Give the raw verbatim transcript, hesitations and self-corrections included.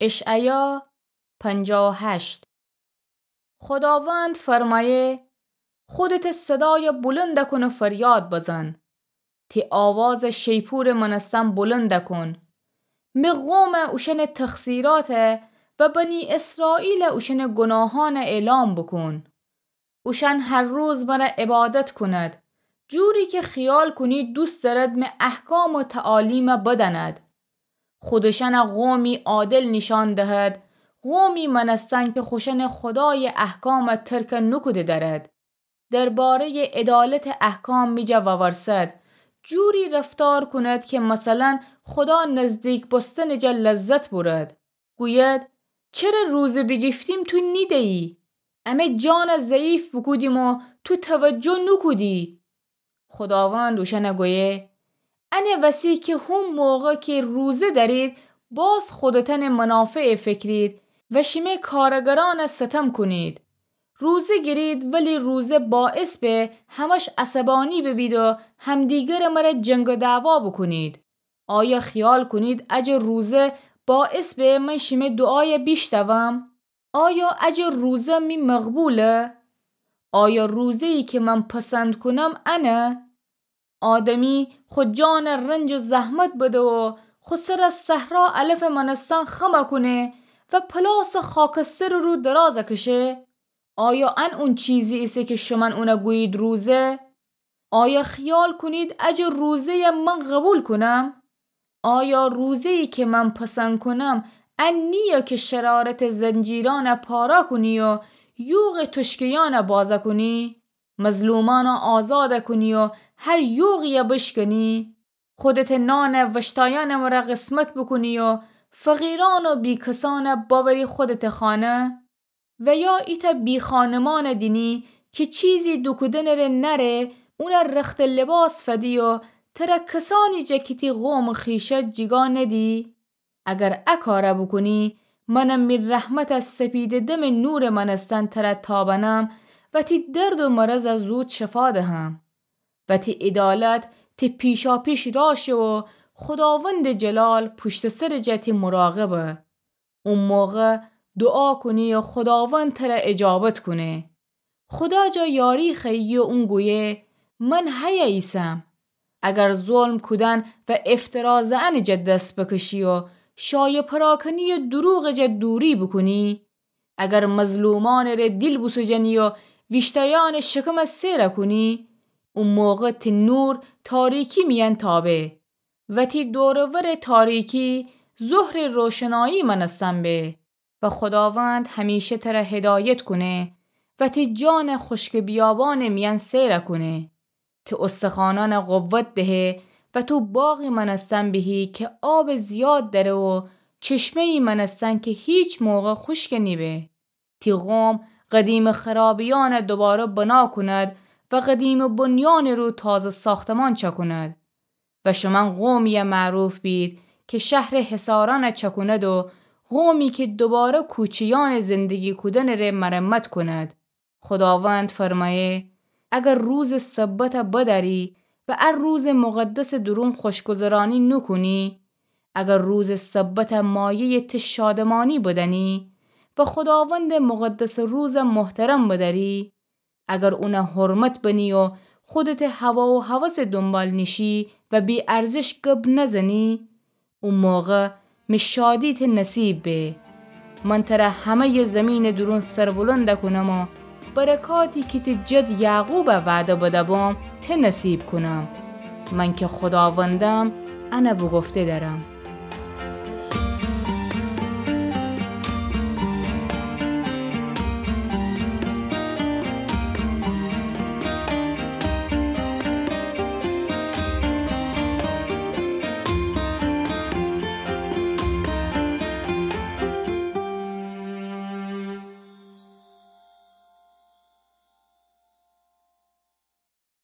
اشعیا پنجاه و هشت. خوداوند فرمایه: خودته صدای بلند کن و فریاد بزن. تی آواز شیپور مانستن بلند کن. می قوم اوشأن تقصیرات و بنی اسرائیل اوشأن گناهان اعلام بکن. اوشأن هر روز مر عبادت کند، جوری که خیال کنید دوست دأرد می احکام و تعالیم بدأند. خودشأن قومی عادل نیشأن دهد، قومی مانستن که خوشأن خودای احکام ترک نوکوده دأرد. دربارهٔ عدالت احکام می جا وورسد، جوری رفتار کند که مثلاً خودا نزدیک بوستن جا لذت بورد. گوید: چره روزه بیگیفتیم تو نیدیی؟ امه جان ضعیف بوکودیم و تو توجه نوکودی. خوداوند اوشأن گویه: انه وسی که هون موقع که روزه دأرید، باز خودتأن منافع فکرید و شیمی کارگرأن ستم کنید. روزه گیرید، ولی روزه باعث به همش عصبانی ببید و همدیگر مر جنگ و دعوا بکنید. آیا خیال کنید اجه روزه باعث به من شیمی دعای بیشتوم؟ آیا اجه روزه می مقبوله؟ آیا روزه‌یی که من پسند کنم انه؟ آدمی خو جان رنج و زحمت بده و خو سر صحرا علف مانستن خم کونه و پلاس خاکستر رو دراز کشه؟ آیا ان اون چیزی ایسه که شمن اون گویید روزه؟ آیا خیال کنید اجه روزه‌ی من قبول کنم؟ آیا روزه‌یی که من پسند کنم ان نییه که شرارت زنجیران پاره کنی و یوغ تشکیان بازه کنی؟ مظلومأن آزاد کنی و هر یوغی بشکنی؟ خودته نان وشتایأن مر قسمت بکنی و فقیرأن و بیکسأن بأوری خودته خانه؟ و یا ایتأ بیخانمان دینی که چیزی دوکودن ره نأره، اون رخت لباس فدی و تر کسأنی جا که تی قوم خویشه جیگا ندی؟ اگر ا کار بوکونی، من می رحمت سپیده دم نور مانستن تر تابنم و تی درد و مرض زود شفا دهم و تی عدالت تی پیشاپیش راه شه و خوداوند جلال پشت سر جا تی مراقبه. او موقع دعا کنی و خوداوند تر اجابت کونه. خودا جا یاری خوأیی و اون گویه: من هیه ایسم. اگر ظلم کودن و افترا زئن جا دس بکشی و شایع پراکنی و دروغ جا دوری بوکونی، اگر مظلومأن ره دیل بوسوجنی و ویشتایأن شکم سیر کونی، او موقع تی نور تاریکی میأن تابه و تی دور و ور تاریکی ظهر روشنایی مأنستن به. و خوداوند همیشه تر هدایت کونه و تی جان خوشک بیابان میأن سیر کونه. تی استخوانأن قوت دهه و تو باغی مأنستن بهی که آب زیاد دأره و چشمه‌یی مأنستن که هیچ موقع خوشک نیبه. تی قوم قدیم خرابیأن دوباره بنا کند و قدیم بنیان رو تازه ساختمان چکند. و شومأن قومیی معروف بید که شهر حصارأن چکوند و قومی که دوباره کوچه‌یأن زندگی کودن ره مرمت کند. خوداوند فرمایه: اگر روز سبت بدأری و ا روز مقدس درون خوشگذرانی نوکونی، اگر روز سبت مایه‌ی تی شادمانی بدأنی و خوداوند مقدس روز محترم بدأری، اگر اون حرمت بنی و خودت هوا و هوس دنبال نیشی و بی‌ارزش گب نزنی، او موقع می شادی تی نصیب به. من تر همه‌ی زمین درون سربلند کونم و برکاتی که تی جد یعقوب وعده بده بوم، تی نصیب کونم. من که خوداوندم، ان بگفته دأرم.